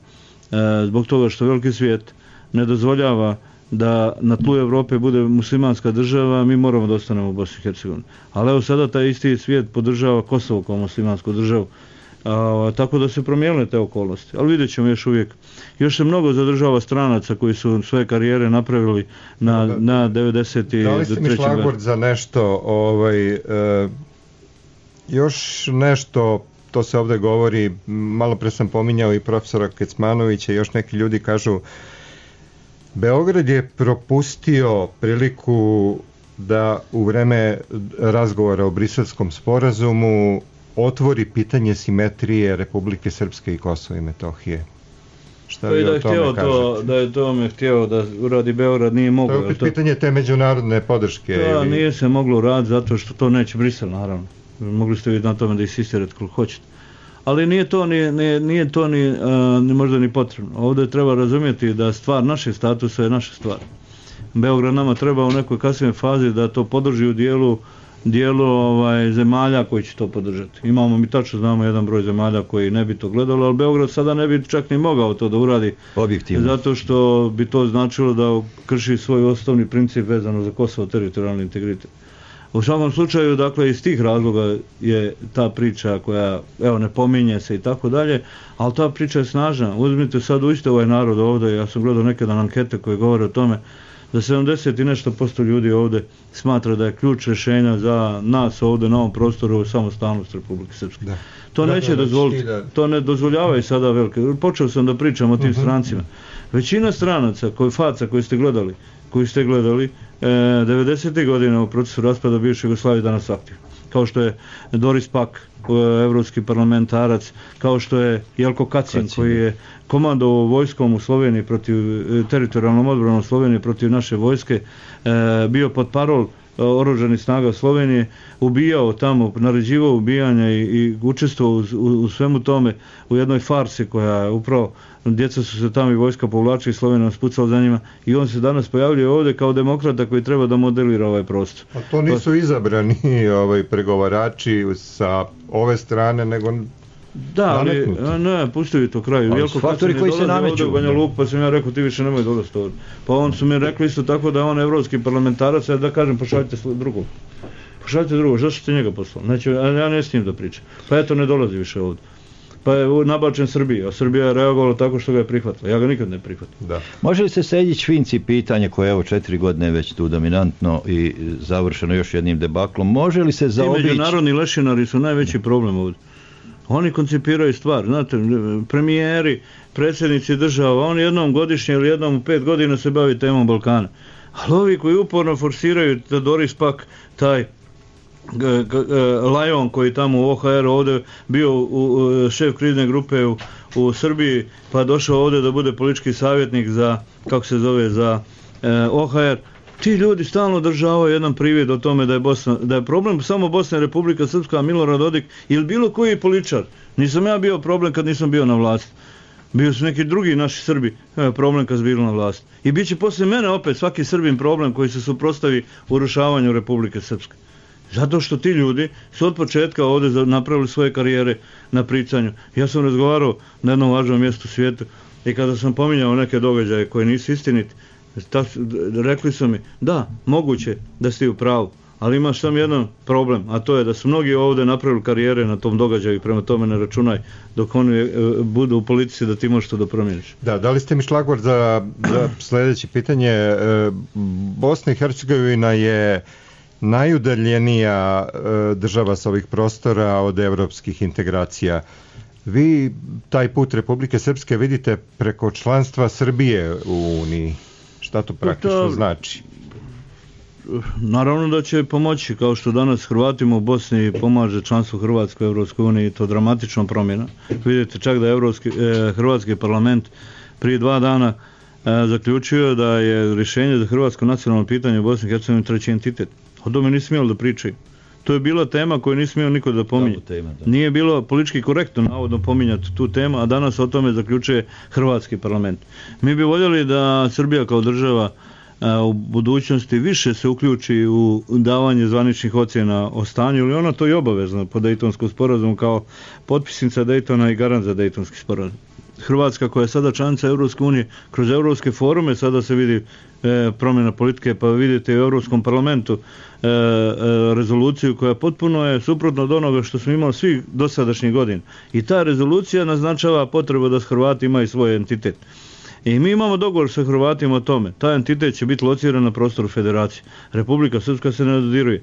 zbog toga što veliki svijet ne dozvoljava da na tlu Europe bude muslimanska država, mi moramo da ostanemo u Bosni i Hercegovini. Ali evo sada taj isti svijet podržava Kosovo kao muslimansku državu, tako da se promijenile te okolnosti. Ali vidjet ćemo još se mnogo zadržava stranaca koji su svoje karijere napravili na 90. Da li ste mi šlagvord za nešto, još nešto, to se ovdje govori, malo pre sam pominjao i profesora Kecmanovića, još neki ljudi kažu, Beograd je propustio priliku da u vreme razgovora o Briselskom sporazumu otvori pitanje simetrije Republike Srpske i Kosova i Metohije. Šta vi o tome kažete? Da je tome htio da uradi Beograd, nije moglo. To je opet pitanje te međunarodne podrške. Da, nije se moglo uraditi zato što to neće Brisel, naravno. Mogli ste vidjeti na tome da insistirate koliko hoćete. ali nije to ni možda ni potrebno. Ovdje treba razumjeti da stvar našeg statusa je naša stvar. Beograd nama treba u nekoj kasnijoj fazi da to podrži u dijelu zemalja koji će to podržati. Imamo, mi tačno znamo jedan broj zemalja koji ne bi to gledalo, ali Beograd sada ne bi čak ni mogao to da uradi. Objektivno. Zato što bi to značilo da krši svoj osnovni princip vezano za Kosovo, teritorijalni integritet. U svakom slučaju, dakle, iz tih razloga je ta priča koja, evo, ne pominje se i tako dalje, ali ta priča je snažna. Uzmite sad uiste ovaj narod ovdje, ja sam gledao neke dan ankete koje govore o tome da 70 i nešto % ljudi ovdje smatra da je ključ rješenja za nas ovdje na ovom prostoru samostalnost Republike Srpske. Da. To neće dozvoliti, to ne dozvoljavaju sada velike. Počeo sam da pričam o tim strancima. Većina stranaca, koji ste gledali 90. godina u procesu raspada bivše Jugoslavije danas aktivno. Kao što je Doris Pak, evropski parlamentarac, kao što je Jelko Kacin, koji je komandovao vojskom u Sloveniji protiv, teritorijalnom odbranom Slovenije protiv naše vojske, bio pod parol oružanih snaga Slovenije, ubijao tamo, naređivao ubijanja i učestvovao u svemu tome u jednoj farsi koja je upravo, djeca su se tamo i vojska povlačila i Slovenija spucala za njima i on se danas pojavljuje ovdje kao demokrata koji treba da modelira ovaj prostor. A to nisu izabrani pregovarači sa ove strane, nego da, ali ne, pustili to kraju. Jelko faktori koji se nameću. Banja Luka, pa sam ja rekao, ti više nemoj dolaziti ovdje. Pa on su mi rekli isto tako da je on evropski parlamentarac, ja da kažem, pošaljite drugog. Pošaljite drugog, zašto ste njega poslali? Ja ne s njim da pričam. Pa eto, ne dolazi više ovdje. Pa je nabačen Srbiji, a Srbija je reagovala tako što ga je prihvatila. Ja ga nikad ne prihvatim. Da. Može li se Sejdić Finci pitanje koje je evo 4 godine već tu dominantno i završeno još jednim debaklom, može li se zaobići? Ti međunarodni lešinari su najveći problem ovdje. Oni koncipiraju stvar, znate, premijeri, predsjednici država, oni jednom godišnje ili jednom u 5 godina se bavi temom Balkana. Ali ovi koji uporno forsiraju da Doris Pak, taj Lajon koji tamo u OHR ovdje bio šef krizne grupe u Srbiji, pa došao ovdje da bude politički savjetnik za, kako se zove, za OHR, ti ljudi stalno državaju jedan privid o tome da je problem samo Bosna i Republika Srpska, Milorad Dodik ili bilo koji političar. Nisam ja bio problem kad nisam bio na vlasti. Bio su neki drugi naši Srbi problem kad su bili na vlasti. I bit će poslije mene opet svaki Srbin problem koji se suprotstavi urušavanju Republike Srpske. Zato što ti ljudi su od početka ovdje napravili svoje karijere na pričanju. Ja sam razgovarao na jednom važnom mjestu u svijetu i kada sam pominjao neke događaje koje nisu istiniti, rekli su mi, da, moguće da ste u pravu, ali imaš samo jedan problem, a to je da su mnogi ovdje napravili karijere na tom događaju i prema tome ne računaj dok oni budu u politici da ti možeš to da promijeniš. Da li ste mi šlagvort za sljedeće pitanje? Bosna i Hercegovina je najudaljenija država sa ovih prostora od evropskih integracija. Vi taj put Republike Srpske vidite preko članstva Srbije u Uniji. Šta to praktično znači? Naravno da će pomoći, kao što danas Hrvatima u Bosni pomaže članstvo Hrvatske u Evropskoj uniji, to dramatično promjena. Vidite čak da je Hrvatski parlament prije 2 dana zaključio da je rješenje za hrvatsko nacionalno pitanje u Bosni i Hercegovini treći entitet. O tome nisi smjeli da pričaju. To je bila tema koju nisi smio niko da pominje. Nije bilo politički korektno navodno pominjati tu temu, a danas o tome zaključuje Hrvatski parlament. Mi bi voljeli da Srbija kao država u budućnosti više se uključi u davanje zvaničnih ocjena o stanju, ili ona to i obavezno po Dejtonskom sporazumu kao potpisnica Dejtona i garant za Dejtonski sporazum. Hrvatska koja je sada članica Europske unije, kroz europske forume sada se vidi promjena politike, pa vidite u Europskom parlamentu rezoluciju koja potpuno je suprotno od onoga što smo imali svih dosadašnjih godina. I ta rezolucija naznačava potrebu da Hrvati imaju svoj entitet. I mi imamo dogovor sa Hrvatima o tome. Taj entitet će biti lociran na prostoru federacije. Republika Srpska se ne dodiruje.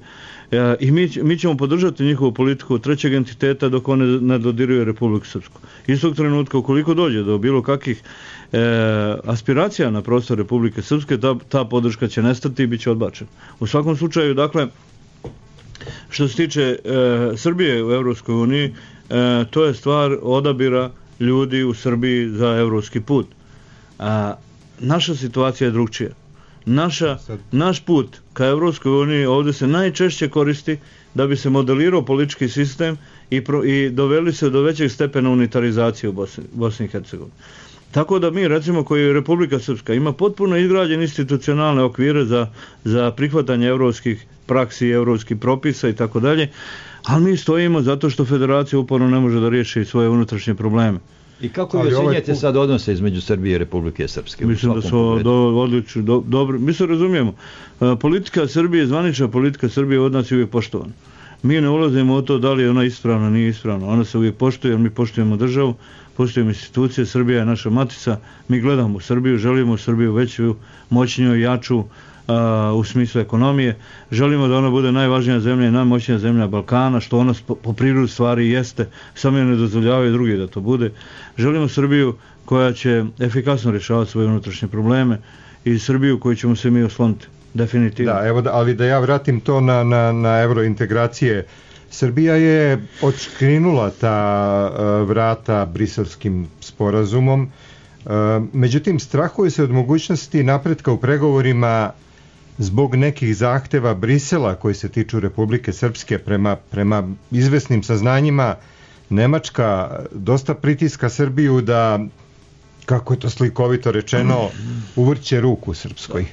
I mi ćemo podržati njihovu politiku trećeg entiteta dok one ne dodiruje Republiku Srpsku. Istog trenutka, ukoliko dođe do bilo kakvih aspiracija na prostor Republike Srpske, ta podrška će nestati i bit će odbačena. U svakom slučaju, dakle, što se tiče Srbije u Evropskoj uniji, to je stvar odabira ljudi u Srbiji za evropski put. Naša situacija je drugčija. naš put ka Evropskoj uniji ovdje se najčešće koristi da bi se modelirao politički sistem i doveli se do većeg stepena unitarizacije u Bosni i Hercegovini. Tako da mi, recimo, koji je Republika Srpska, ima potpuno izgrađene institucionalne okvire za prihvatanje evropskih praksi, evropskih propisa i tako dalje, ali mi stojimo zato što federacija uporno ne može da riješi svoje unutrašnje probleme. I kako vi ocjenjujete sad odnose između Srbije i Republike Srpske? Mislim da su odlični, dobro. Mi se razumijemo. Politika Srbije, zvanična politika Srbije od nas je uvijek poštovana. Mi ne ulazimo u to da li je ona ispravna, nije ispravna. Ona se uvijek poštuje, jer mi poštujemo državu, poštujemo institucije, Srbija je naša matica, mi gledamo u Srbiju, želimo Srbiju veću, moćniju, jaču u smislu ekonomije, želimo da ona bude najvažnija zemlja i najmoćnija zemlja Balkana, što ona po prirodi stvari jeste, samo je ne dozvoljavaju drugi da to bude. Želimo Srbiju koja će efikasno rješavati svoje unutrašnje probleme i Srbiju koju ćemo se mi osloniti, definitivno. Da, evo, ali da ja vratim to na eurointegracije. Srbija je odškrinula ta vrata briselskim sporazumom, međutim strahuje se od mogućnosti napretka u pregovorima zbog nekih zahteva Brisela koji se tiču Republike Srpske. Prema izvesnim saznanjima Nemačka dosta pritiska Srbiju da, kako je to slikovito rečeno, uvrće ruku Srpskoj.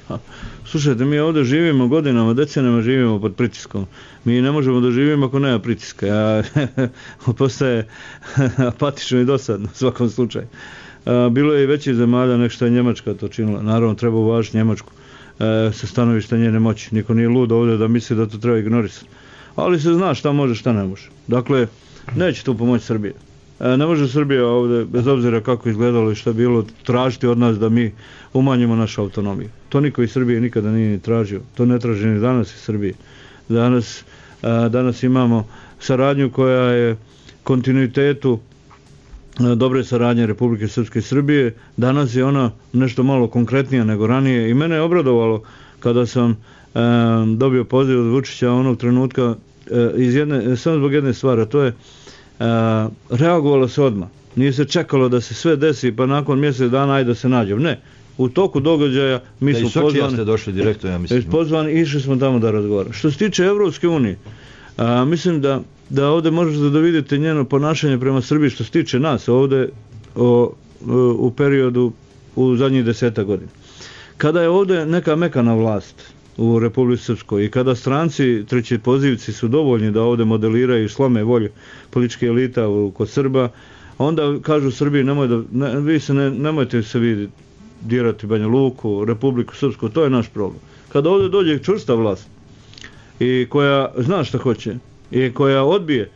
Slušajte, mi ovdje živimo godinama, decenijama živimo pod pritiskom. Mi ne možemo da živimo ako nema pritiska. Postaje apatično i dosadno u svakom slučaju. Bilo je i većih zemalja nek što je Njemačka to činila. Naravno, treba uvažiti Njemačku sa stanovišta njene moći. Niko nije lud ovdje da misli da to treba ignorisati. Ali se zna šta može, šta ne može. Dakle, neće tu pomoći Srbija. Ne može Srbija ovdje, bez obzira kako izgledalo i šta bilo, tražiti od nas da mi umanjimo našu autonomiju. To niko iz Srbije nikada nije ni tražio. To ne traži ni danas iz Srbije. Danas imamo saradnju koja je kontinuitetu dobre saradnje Republike Srpske i Srbije. Danas je ona nešto malo konkretnija nego ranije i mene je obradovalo kada sam dobio poziv od Vučića onog trenutka samo zbog jedne stvari, a to je reagovalo se odmah. Nije se čekalo da se sve desi pa nakon mjesec dana ajde da se nađemo. Ne. U toku događaja mi smo pozvani. Ste došli direktno, ja mislim. Pozvani i išli smo tamo da razgovaramo. Što se tiče Evropske unije, mislim da ovdje možete da vidite njeno ponašanje prema Srbiji što se tiče nas ovdje u periodu u zadnjih 10 godina. Kada je ovdje neka mekana vlast u Republici Srpskoj i kada stranci treći pozivci su dovoljni da ovdje modeliraju i slome volju političke elita kod Srba, onda kažu Srbiji nemojte se vi dirati Banja Luku, Republiku Srpsku, to je naš problem. Kada ovdje dođe čvrsta vlast i koja zna šta hoće i koja odbije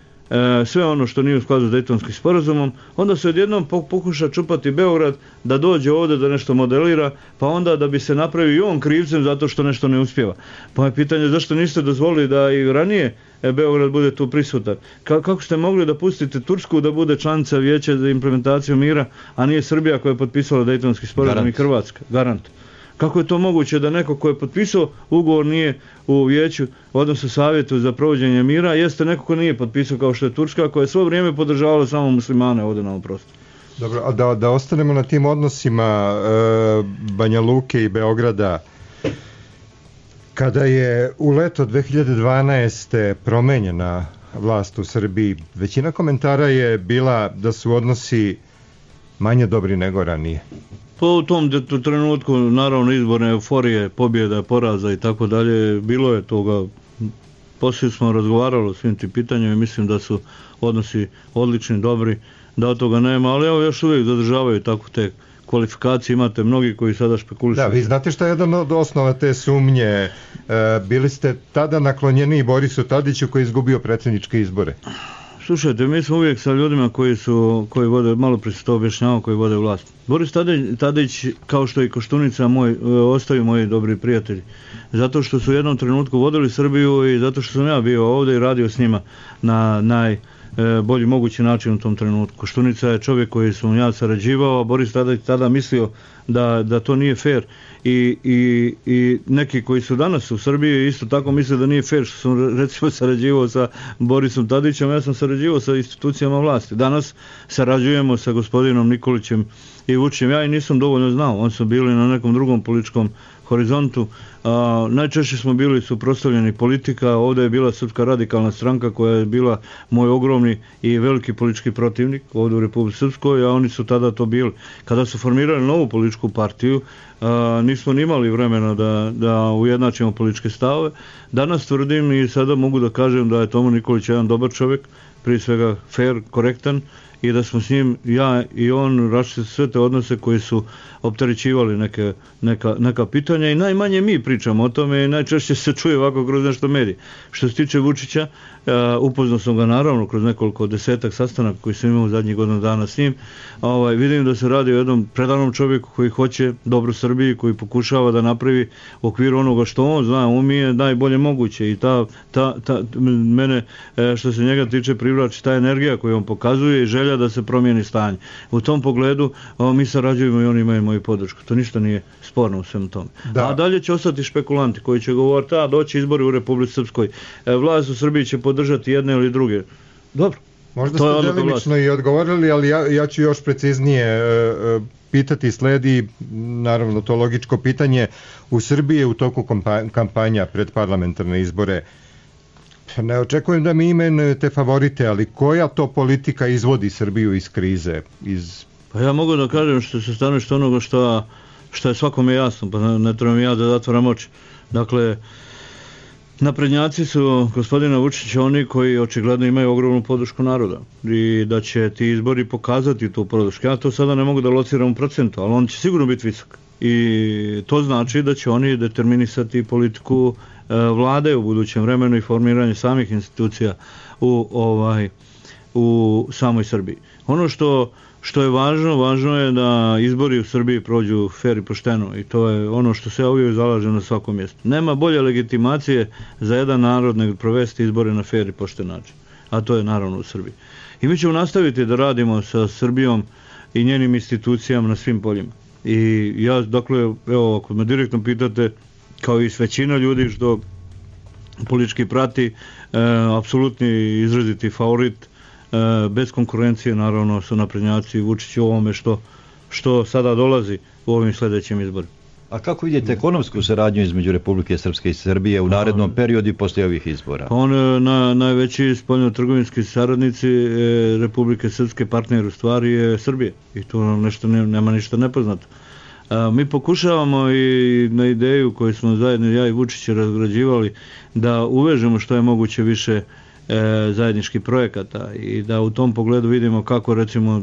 sve ono što nije u skladu s Dejtonskim sporazumom, onda se odjednom pokuša čupati Beograd da dođe ovdje da nešto modelira, pa onda da bi se napravio i on krivcem zato što nešto ne uspjeva. Pa je pitanje zašto niste dozvolili da i ranije Beograd bude tu prisutan. Kako ste mogli da pustite Tursku da bude članica Vijeća za implementaciju mira, a nije Srbija koja je potpisala Dejtonski sporazum i Hrvatska? Garant. Kako je to moguće da neko ko je potpisao ugovor nije u vijeću, odnosno savjetu za provođenje mira, jeste neko ko nije potpisao kao što je Turska, koja je svo vrijeme podržavala samo muslimane ovdje na ovom prostoru. Dobro, a da ostanemo na tim odnosima Banja Luke i Beograda. Kada je u leto 2012. promenjena vlast u Srbiji, većina komentara je bila da su odnosi manje dobri nego ranije. Pa u tom trenutku, naravno, izborne euforije, pobjeda, poraza i tako dalje, bilo je toga. Poslije smo razgovarali o svim tim pitanjima i mislim da su odnosi odlični, dobri, da od toga nema, ali evo još uvijek zadržavaju tako te kvalifikacije, imate mnogi koji sada špekulišu. Da, vi znate šta je jedan od osnova te sumnje? Bili ste tada naklonjeni Borisu Tadiću koji je izgubio predsjedničke izbore. Slušajte, mi smo uvijek sa ljudima koji vode, malo prije se to objašnjavao, koji vode vlast. Boris Tadić, kao što i Koštunica, ostaju moji dobri prijatelji. Zato što su u jednom trenutku vodili Srbiju i zato što sam ja bio ovdje i radio s njima na najbolji mogući način u tom trenutku. Koštunica je čovjek koji sam ja sarađivao, a Boris Tadić tada mislio da to nije fair. I neki koji su danas u Srbiji isto tako misle da nije fair što sam recimo sarađivao sa Borisom Tadićem, ja sam sarađivao sa institucijama vlasti. Danas sarađujemo sa gospodinom Nikolićem i Vučićem, ja i nisam dovoljno znao, oni su bili na nekom drugom političkom horizontu. Najčešće smo bili suprotstavljeni politika, ovdje je bila Srpska radikalna stranka koja je bila moj ogromni i veliki politički protivnik ovdje u Republici Srpskoj, a oni su tada to bili. Kada su formirali novu političku partiju, nismo ni imali vremena da ujednačimo političke stavove. Danas tvrdim i sada mogu da kažem da je Tomo Nikolić jedan dobar čovjek, prije svega fair, korektan, i da smo s njim, ja i on, rašli sve te odnose koji su opterećivali neka pitanja i najmanje mi pričamo o tome i najčešće se čuje ovako kroz nešto medije. Što se tiče Vučića, upoznao sam ga naravno kroz nekoliko desetak sastanaka koji sam imao zadnjih godinu dana s njim. Vidim da se radi o jednom predanom čovjeku koji hoće dobro Srbiji, koji pokušava da napravi u okviru onoga što on zna, umije najbolje moguće i mene što se njega tiče privlači ta energija koju on pokazuje i želja da se promijeni stanje. U tom pogledu mi sarađujemo i oni imaju moju podršku. To ništa nije sporno u svemu tome. Da. A dalje će ostati špekulanti koji će govoriti doći izbori u Republici Srpskoj. Vlast u Srbiji će podržati jedne ili druge. Dobro. Možda ste delimično i odgovorili, ali ja ću još preciznije pitati, sledi naravno to logičko pitanje. U Srbiji je u toku kampanja pred parlamentarne izbore. Ne očekujem da mi imenujete favorite, ali koja to politika izvodi Srbiju iz krize? Pa ja mogu da kažem što se stanovište onoga što je svakome jasno, pa ne trebam ja da zatvaram oči. Dakle, naprednjaci su gospodina Vučića oni koji očigledno imaju ogromnu podršku naroda i da će ti izbori pokazati tu podršku. Ja to sada ne mogu da lociram u procentu, ali on će sigurno biti visok. I to znači da će oni determinisati politiku vlade u budućem vremenu i formiranje samih institucija u samoj Srbiji. Ono što je važno je da izbori u Srbiji prođu fer i pošteno i to je ono što se uvijek zalaže na svakom mjestu. Nema bolje legitimacije za jedan narod nego provesti izbore na fer i pošten način, a to je naravno u Srbiji. I mi ćemo nastaviti da radimo sa Srbijom i njenim institucijama na svim poljima. I ja, dakle, evo, ako me direktno pitate, kao i s većina ljudi što politički prati, apsolutni izraziti favorit, bez konkurencije naravno su naprednjaci Vučić u ovome što sada dolazi u ovim sljedećim izborima. A kako vidite ekonomsku saradnju između Republike Srpske i Srbije u narednom periodu i poslije ovih izbora? Pa najveći spoljno-trgovinski saradnici Republike Srpske, partner u stvari je Srbije i tu nema ništa nepoznato. Mi pokušavamo i na ideju koju smo zajedno ja i Vučić razgrađivali da uvežemo što je moguće više zajedničkih projekata i da u tom pogledu vidimo kako recimo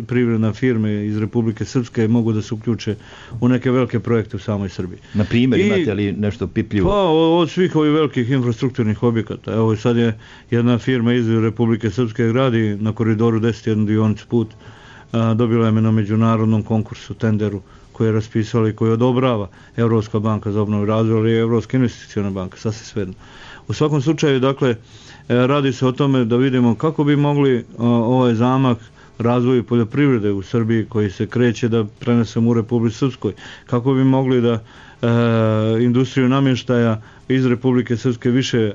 privredne firme iz Republike Srpske mogu da se uključe u neke velike projekte u samoj Srbiji. Na primjer, imate li nešto pipljivo? Pa od svih ovih velikih infrastrukturnih objekata. Evo sad je jedna firma iz Republike Srpske gradi na koridoru 10 jednu dionicu put. Dobila je me na međunarodnom konkursu, tenderu koji je raspisala i koji odobrava Evropska banka za obnovu i razvoj, ali i Evropska investiciona banka, sasvim svejedno. U svakom slučaju, dakle, radi se o tome da vidimo kako bi mogli ovaj zamak razvoju poljoprivrede u Srbiji koji se kreće da prenesemo u Republici Srpskoj, kako bi mogli da industriju namještaja iz Republike Srpske više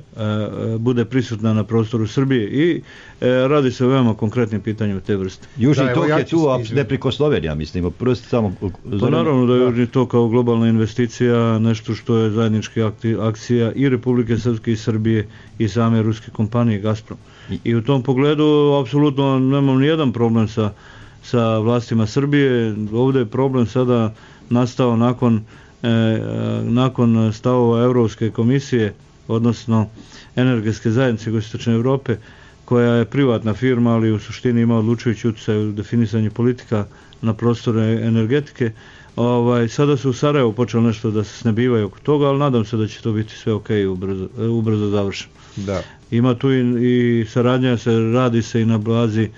bude prisutna na prostoru Srbije i radi se o veoma konkretnim pitanjima te vrste. Južni tok je tu neprikosnoven, ja mislim. Pa naravno da je Južni tok kao globalna investicija nešto što je zajednička akcija i Republike Srpske i Srbije i same ruske kompanije Gazprom. I u tom pogledu apsolutno nemam nijedan problem sa vlastima Srbije. Ovdje je problem sada nastao nakon stavova Europske komisije, odnosno energetske zajednice Jugoistočne Europe, koja je privatna firma, ali u suštini ima odlučujući utjecaj u definisanju politika na prostore energetike. Sada su u Sarajevu počeli nešto da se snebivaju oko toga, ali nadam se da će to biti sve ok i ubrzo završeno. Da. Ima tu i saradnja, radi se i na bazi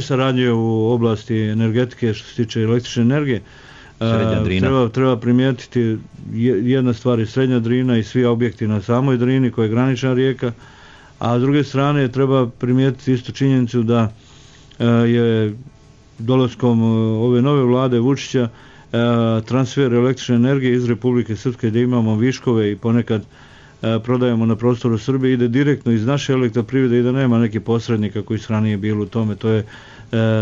saradnje u oblasti energetike što se tiče električne energije. Treba primijetiti jedna stvar je Srednja Drina i svi objekti na samoj Drini koja je granična rijeka, a s druge strane treba primijetiti isto činjenicu da je dolaskom ove nove vlade Vučića transfer električne energije iz Republike Srpske gdje imamo viškove i ponekad prodajemo na prostoru Srbije ide direktno iz naše elektroprivrede i da nema nekih posrednika koji su ranije bili u tome. To je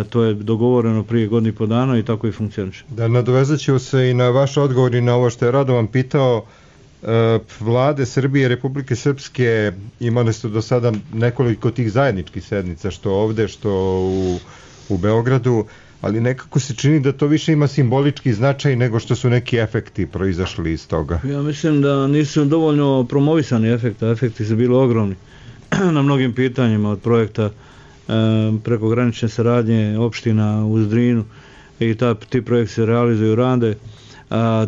To je dogovoreno prije godinu i po dana i tako i funkcioniše. Da, nadovezat ću se i na vaš odgovor i na ovo što je Radovan pitao. Vlade Srbije i Republike Srpske imali su do sada nekoliko tih zajedničkih sednica, što ovde, što u Beogradu, ali nekako se čini da to više ima simbolički značaj nego što su neki efekti proizašli iz toga. Ja mislim da nisu dovoljno promovisani efekti su bili ogromni na mnogim pitanjima, od projekta prekogranične saradnje opština uz Drinu i ti projekti se realizuju rade.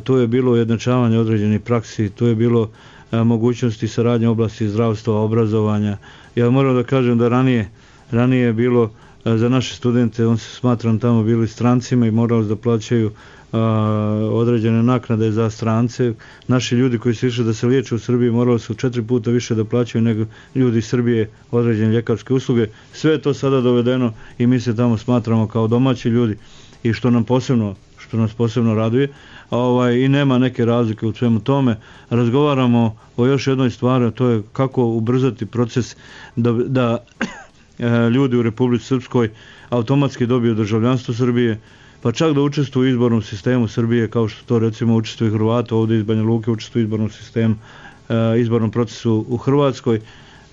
Tu je bilo ujednačavanje određenih praksi, tu je bilo mogućnosti saradnje u oblasti zdravstva, obrazovanja. Ja moram da kažem da ranije je bilo za naše studente, on se smatram tamo bili strancima i morali da plaćaju određene naknade za strance. Naši ljudi koji su išli da se liječe u Srbiji morali su 4 puta više da plaćaju nego ljudi iz Srbije određene ljekarske usluge. Sve je to sada dovedeno i mi se tamo smatramo kao domaći ljudi i što nas posebno raduje. I nema neke razlike u svemu tome. Razgovaramo o još jednoj stvari, a to je kako ubrzati proces da ljudi u Republici Srpskoj automatski dobiju državljanstvo Srbije, pa čak da učestvuju u izbornom sistemu Srbije, kao što to recimo učestvuju Hrvata ovdje iz Banja Luke, učestvuju u izbornom sistemu, izbornom procesu u Hrvatskoj.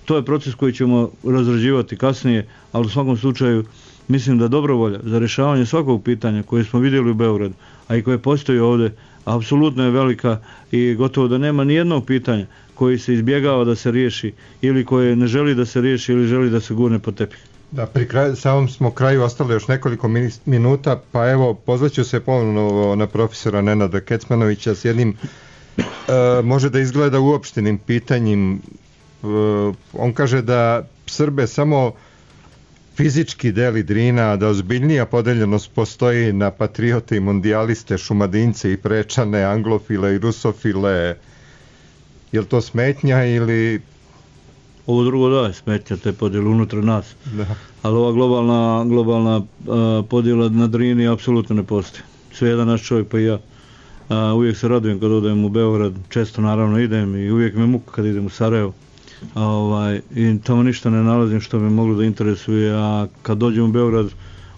To je proces koji ćemo razrađivati kasnije, ali u svakom slučaju mislim da dobrovolja za rješavanje svakog pitanja koje smo vidjeli u Beogradu, a i koje postoji ovdje, apsolutno je velika i gotovo da nema ni jednog pitanja koji se izbjegava da se riješi ili koje ne želi da se riješi ili želi da se gurne pod tepih. Da, pri samom smo kraju ostalo još nekoliko minuta, pa evo, pozvaću se ponovno na profesora Nenada Kecmanovića s jednim, može da izgleda uopštenim pitanjem. On kaže da Srbe samo fizički deli Drina, da ozbiljnija podeljenost postoji na patriote i mondijaliste, šumadince i prečane, anglofile i rusofile. Je li to smetnja ili... Ovo drugo da je smetnja, te podjele unutar nas. Da. Ali ova globalna podjela na Drini apsolutno ne postoji. Sve jedan naš čovjek, pa i ja. Uvijek se radujem kad odem u Beograd, često naravno idem i uvijek me muka kad idem u Sarajevo. I tamo ništa ne nalazim što me moglo da interesuje, a kad dođem u Beograd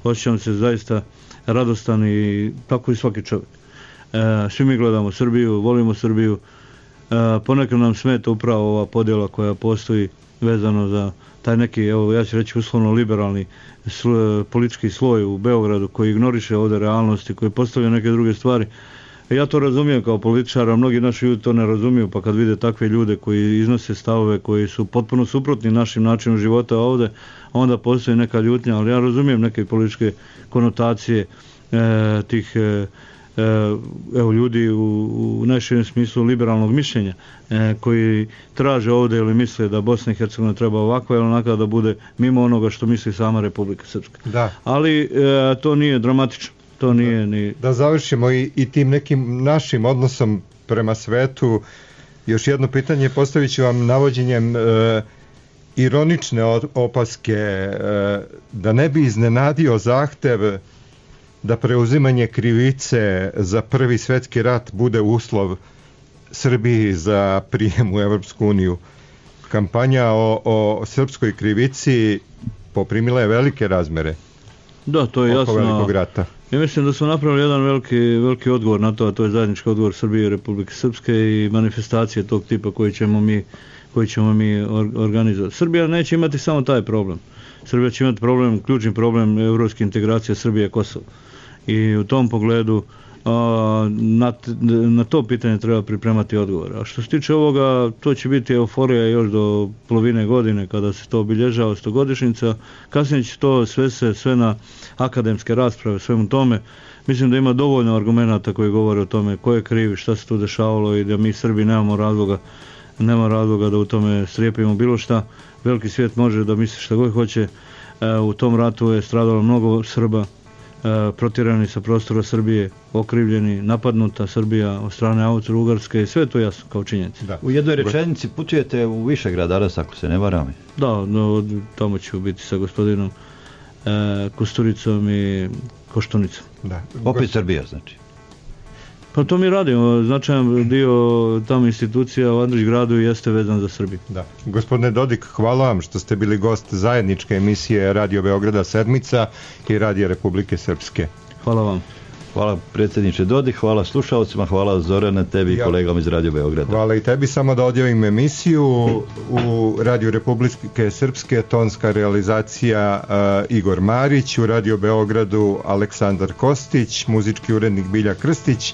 osjećam se zaista radostan i tako i svaki čovjek. Svi mi gledamo Srbiju, volimo Srbiju, ponekad nam smeta upravo ova podjela koja postoji vezano za taj neki, evo ja ću reći uslovno liberalni politički sloj u Beogradu koji ignoriše ovdje realnosti, koji postavlja neke druge stvari. Ja to razumijem kao političar, a mnogi naši ljudi to ne razumiju, pa kad vide takve ljude koji iznose stavove koji su potpuno suprotni našim načinom života ovdje, onda postoji neka ljutnja, ali ja razumijem neke političke konotacije tih ljudi u najširem smislu liberalnog mišljenja koji traže ovdje ili misle da Bosna i Hercegovina treba ovako ili onako da bude mimo onoga što misli sama Republika Srpska. Da. Ali to nije dramatično. To nije ni... Da završimo i tim nekim našim odnosom prema svetu. Još jedno pitanje postavit ću vam navođenjem ironične opaske da ne bi iznenadio zahtev da preuzimanje krivice za Prvi svjetski rat bude uslov Srbiji za prijem u Evropsku uniju. Kampanja o srpskoj krivici poprimila je velike razmere. Da, to je jasno. Velikog rata. Ja mislim da smo napravili jedan veliki odgovor na to, a to je zajednički odgovor Srbije i Republike Srpske i manifestacije tog tipa koji ćemo mi organizovati. Srbija neće imati samo taj problem. Srbija će imati ključni problem evropske integracije Srbije i Kosova. I u tom pogledu na to pitanje treba pripremati odgovor. A što se tiče ovoga, to će biti euforija još do polovine godine kada se to obilježava 100-godišnjica. Kasnije će to sve na akademske rasprave, svemu tome. Mislim da ima dovoljno argumenata koji govore o tome ko je kriv, šta se tu dešavalo i da mi Srbi nema razloga da u tome strijepimo bilo šta. Veliki svijet može da misli šta god hoće. U tom ratu je stradalo mnogo Srba, protjerani sa prostora Srbije, okrivljeni, napadnuta Srbija od strane Austro-Ugarske, sve to jasno kao činjenica. U jednoj rečenici putujete u Višegrad danas, ako se ne varam. Da, tamo ću biti sa gospodinom Kusturicom i Koštunicom. Da. Opet Srbija, znači. Pa to mi radimo, značajan dio tamo institucija u Andrić gradu jeste vezan za Srbiju. Da. Gospodine Dodik, hvala vam što ste bili gost zajedničke emisije Radio Beograda Sedmica i Radija Republike Srpske. Hvala vam. Hvala predsjedniče Dodik, hvala slušalcima, hvala Zorane, tebi i kolegama iz Radio Beograda. Hvala i tebi, samo da odjavim emisiju u Radio Republike Srpske, tonska realizacija Igor Marić, u Radio Beogradu Aleksandar Kostić, muzički urednik Bilja Krstić,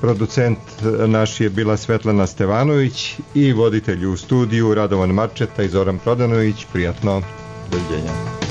producent naš je bila Svetlana Stevanović i voditelj u studiju Radovan Marčeta i Zoran Prodanović. Prijatno. Doviđenja.